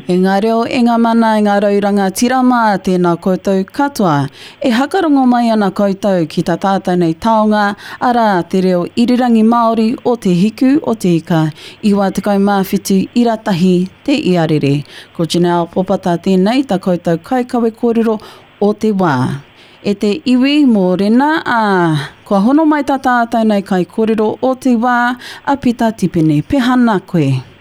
E ngā reo, e ngā mana, e ngā rau rangatira mā, tēnā koutou katoa. E hakarongo mai ana koutou ki tā tātou nei taonga, arā, te reo irirangi Māori o Te Hiku o Te Ika, 97 ira tahi te iarere. Ko Janelle Popata tēnei, tā koutou kaikawe kōrero o te wā. E te iwi mōrena, ā, kua hono mai tā tātou nei kaikōrero o te wā, a Pita Tipene. Pehana koe?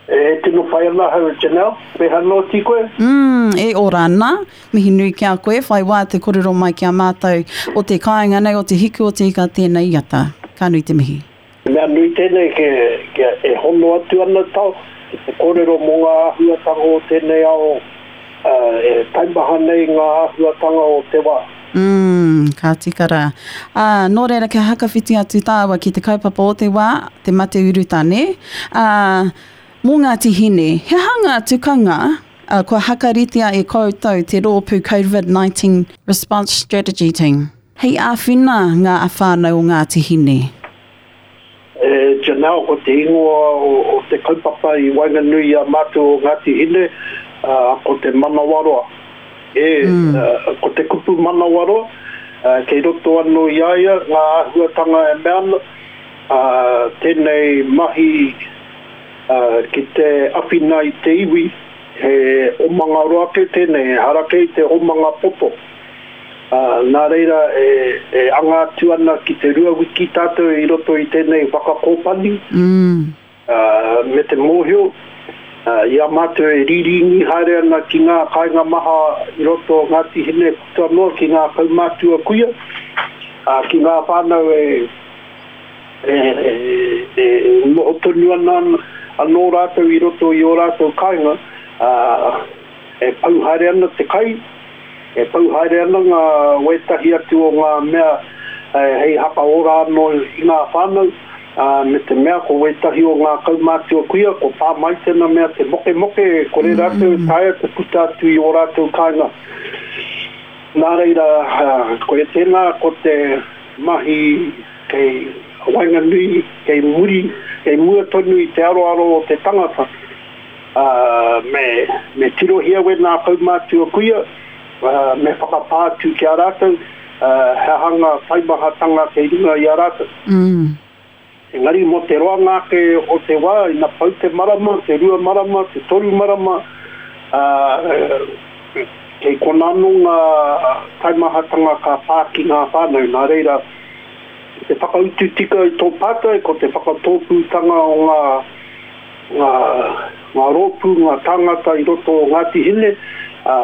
E tino pai ana ahau e Janelle, peha noti koe? Mm, e ora ana. Mihi nui ki a koe, whai wā te korero mai ki a mātou o te kāinga nei, o te hiku o te ika tēnei iata. Ka nui te mihi. He mea nui tēnei ke, kia e hono atu ana tau ki te kōrero mō ngā āhuatanga o tēnei ao, ā, e taimaha nei ngā āhuatanga o te wā. Mm, ka tika rā. Ā, nō reira kia hakawhiti atu tāua ki te kaupapa o te wā, te mate urutā, nē? Ā, mō Ngāti Hine, he aha ngā tukanga ā, kua hakaritea e koutou te rōpū COVID-19 Response Strategy Team hei āwhina ngā whānau o Ngāti Hine? E Janelle, ko te ingoa o te kaupapa i waenganui i a mātou o Ngāti Hine, ko te manawaroa. E, ko te kupu manawaroa, kei roto anō i a ia ngā āhuatanga e mea ana, tēnei mahi ki te awhina i te iwi, he omanga roa kē tēnei, ehara kē i te omanga poto. Ā, nā reira e, e anga atu ana ki te rua wiki tātou i roto i tēnei whakakōpani, ā, me te mōhio, ā, i a mātou e rīrīngi haere ana ki ngā kāinga maha i roto o Ngāti Hine puta noa ki ngā kaumātua kuia, ā, ki ngā whānau e, e, e, e noho tonu ana anō rātou i roto i ō rātou kāinga, ā, E pau haere ana te kai, e pau haere ana ngā wētahi atu o ngā mea hei hakaora anō i ngā whānau, ā, me te mea ko wētahi o ngā kaumātua kuia ko pā mai tēnā mea te mokemoke e kore rātou e taea te puta atu i ō rātou kāinga. Nā reira, koia tēnā ko te mahi kei waenganui, kei muri, kei mua tonu i te aroaro o te tangata. Ā, me, me tirohia wēnā kaumātua kuia, ā, me whakapā atu ki a rātou, ā, he aha ngā taimahatanga kei runga i a rātou. Mm. Engari mō te roanga ake o te wā, ina pau te marama, te rua marama, te toru marama, ā, kei konā anō ngā taimahatanga ka pā ki ngā whānau. Nā reira, te whakautu tika i tō pātai, ko te whakatōpūtanga o ngā ngā, ngā rōpū, ngā tāngata i roto o Ngāti Hine, ā,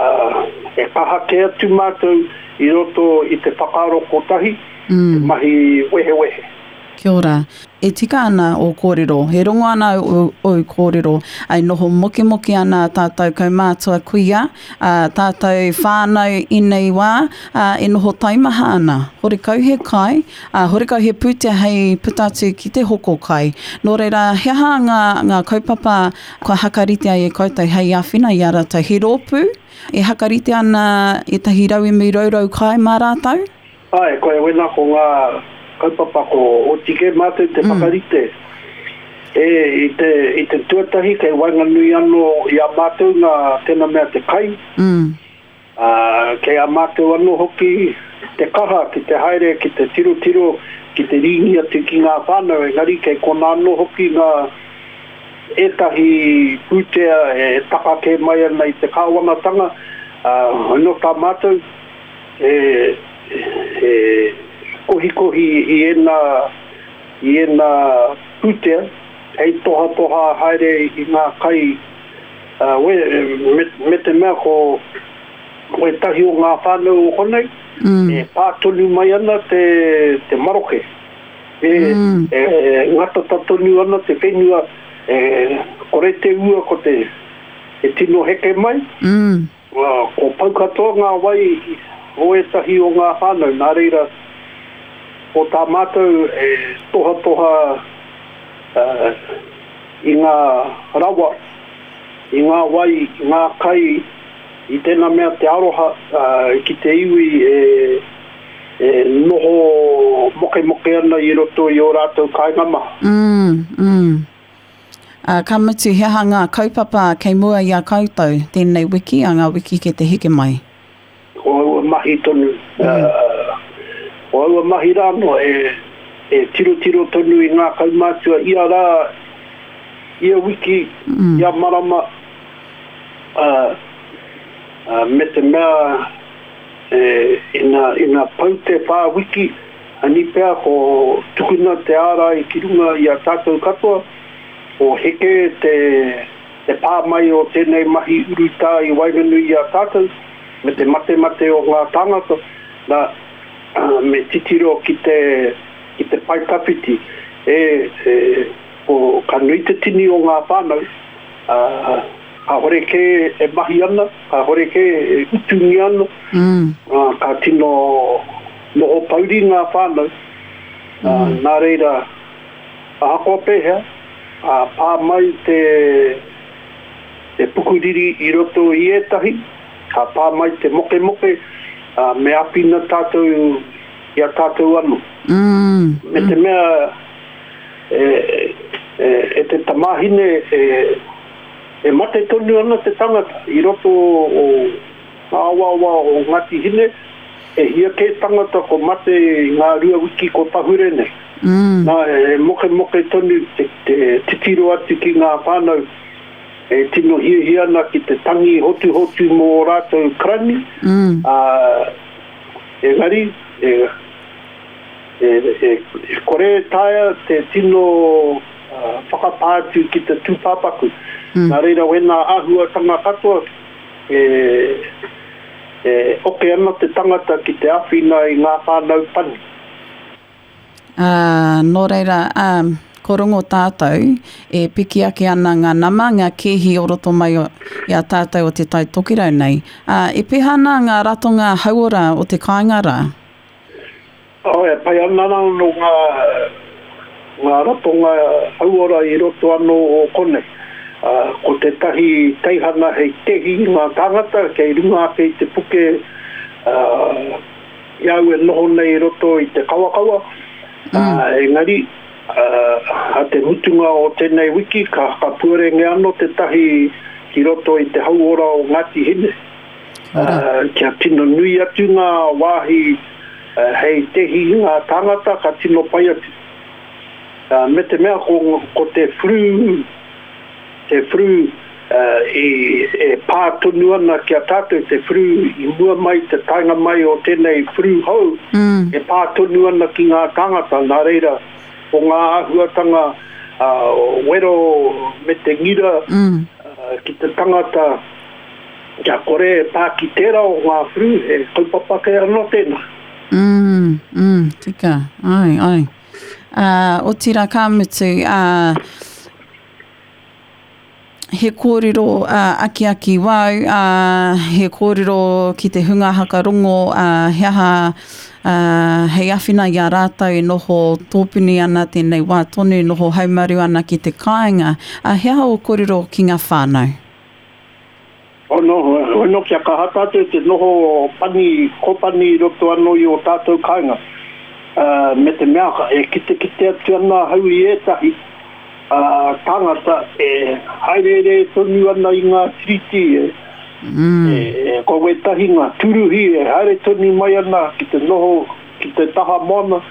e kaha kē atu mātou i roto i te whakaaro kotahi, te mahi wehewehe. Kia ora. E tika ana ō kōrero, e rongo ana au ōu kōrero, e noho mokemoke ana tātou kaumātua kuia, ā, tātou whānau ēnei wā, ā, e noho taimaha ana. Horekau he kai, Ā, horekau he pūtea hei puta atu ki te hoko kai. Nō reira, he aha ngā, ngā kaupapa kua hakaritea e koutou hei āwhina i a rātou? He rōpū e hakaritea ana ētahi rauemi rourou kai mā rātou? Āe, koia wena ko ngā kaupapa ko oti kē mātou te whakarite. E, i te, i te tuatahi kei waenganui anō i a mātou ngā, tēnā mea te kai. Ā, kei a mātou anō hoki te kaha ki te haere, ki te tirotiro, ki te rīngi atu ki ngā whānau, engari kei konā anō hoki ngā ētahi pūtea e taka kē mai ana i te kāwanatanga, ā, nō tā mātou e, e kohikohi i ēnā, i ēnā pūtea hei tohatoha haere i ngā kai Ā, we, me, me te mea ko wētahi o ngā whānau o konei, mm. e pā tonu mai ana te, te maroke. E, mm. e, ngatata tonu ana te whenua, e, kore te ua ko te, e tino heke mai. Mm. Ā, ko pau katoa ngā wai o ētahi o ngā whānau, nā reira, ko tā mātou e tohatoha uh, i ngā rawa, i ngā wai, i ngā kai, i tēnā mea te aroha ki te iwi e, e noho mokemoke ana i roto i ō rātou kāinga maha. Mm, mm. Ā, ka mutu he aha ngā kaupapa kei mua i a koutou tēnei wiki, ā ngā wiki kei te heke mai? Ko aua mahi tonu, ko aua mahi rā anō e tirotiro tonu i ngā kaumātua ia rā, ia wiki, ia marama, ā, me te mea ina, ina pau te whā wiki, ani pea ko tukuna te ārai ki runga i a tātou katoa, ko heke te, te pā mai o tēnei mahi urutā i waenganui i a tātou, me te matemate o ngā tāngata, nā, me titiro ki te, ki te pae tawhiti, e, e, ko, ka nui te tini o ngā whānau, ā, kāhore kē e mahi ana, kāhore kē e utungia ana, ā, ka tino noho pouri ngā whānau, ā, nā reira, ahakoa pēhea, ka pā mai te, te pukuriri i roto i ētahi, ka pā mai te mokemoke, ā, me āwhina tātou i a tātou anō. Me te mea, e, e, e te tamāhine, e, e mate tonu ana te tangata i roto o ngā awaawa o Ngāti Hine, e hia kē tangata ko mate i ngā rua wiki ko pahure nei. Nā, e mokemoke tonu te, te titiro atu ki ngā whānau e tino hiahia ana ki te tangi hotuhotu mō ō rātou karani, ā, engari, e, E kore e taea te tino whakapā atu ki te tūpāpaku. Nā reira wēnā āhuatanga katoa e oke ana te tangata ki te āwhina i ngā whānau pani. Ā, nō reira, ā, ko rongo tātou, e piki ake ana ngā nama, ngā kēhi o roto mai i a tātou o Te Tai Tokerau nei. Ā, e peha ana ngā ratonga hauora o te kāinga rā? Oh, e pai ana anō ngā, ngā ratonga hauora i roto anō o konei. Ā, ko tētahi teihana hei tehi i ngā tāngata kei runga ake i te puke, ā, i a au e noho nei i roto i te kawakawa, ā, engari, ā, a te mutunga o tēnei wiki ka whakapuarengia anō tētahi ki roto i te hauora o Ngāti Hine. Kia tino nui atu ngā wāhi hei tehi i ngā tāngata ka tino pai atu. Me te mea ko te flu, te flu i e pā tonu ana ki a tātou, te flu i mua mai te taenga mai o tēnei flu hou, e pā tonu ana ki ngā tāngata, nā reira ko ngā āhuatanga wero me te ngira ki te tangata Kia kore e pā ki tērā o ngā whru, he kaupapa kē anō tēnā. Mm, mm, tika, ai, ai. Ā, otirā ka mutu, ā, he kōrero ā, akiaki wāu, ā, he kōrero ki te hunga hakarongo, ā, he aha, ā, hei āwhina i a rātou e noho tōpuni ana tēnei wā tonu, noho haumaru ana ki te kāinga. Ā, he aha ō kōrero ki ngā whānau? Ono, ono kia kaha tātou te noho pani, kōpani i roto anō i ō tātou kāinga. Me te mea e kitekite atu ana ahau i ētahi tāngata e hāereere tonu ana i ngā tiriti, e, ko wētahi ngā tūruhi e haere tonu mai ana ki te noho ki te taha moana,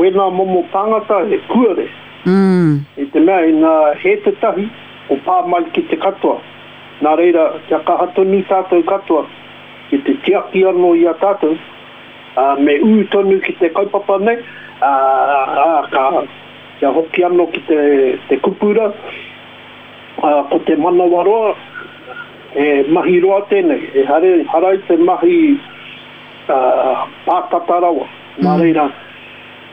wēnā momo tāngata he kuare. I te mea ina hē tētahi, ko pā mai ki te katoa. Nā reira, kia kaha tonu tātou katoa ki te tiaki anō i a tātou, ā, me ū tonu ki te kaupapa nei, ā, ā, ka, kia hoki anō ki te, te kupu rā, ā, ko te manawaroa, he mahi roa tēnei, ehara, ehara i te mahi, ā, pātata rawa. Nā reira,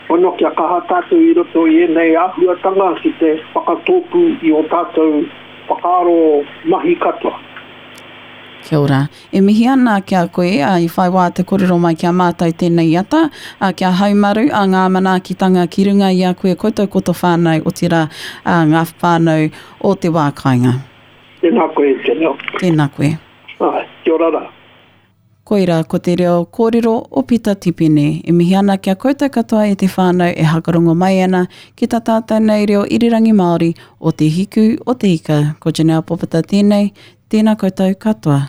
Pono kia kaha tātou i roto i ēnei āhuatanga ki te whakatōpū i ō tātou whakaaro mahi katoa. Kia ora. E mihi ana ki a koe, ā, i whai wā te korero mai ki a mātou tēnei ata, ā, kia haumaru, ā, ngā manaakitanga ki runga i a koe, koutou ko to whānau, otirā, ā, ngā whānau o te wā kāinga. Tēnā koe, Janelle. Tēnā koe. Āe, kia ora rā. Koirā ko te reo kōrero o Pita Tipene. E mihi ana ki a koutou katoa e te whānau e hakarongo mai ana ki tā tātou nei reo irirangi Māori o Te Hiku o Te Ika. Ko Janelle Popata tēnei, tēnā koutou katoa.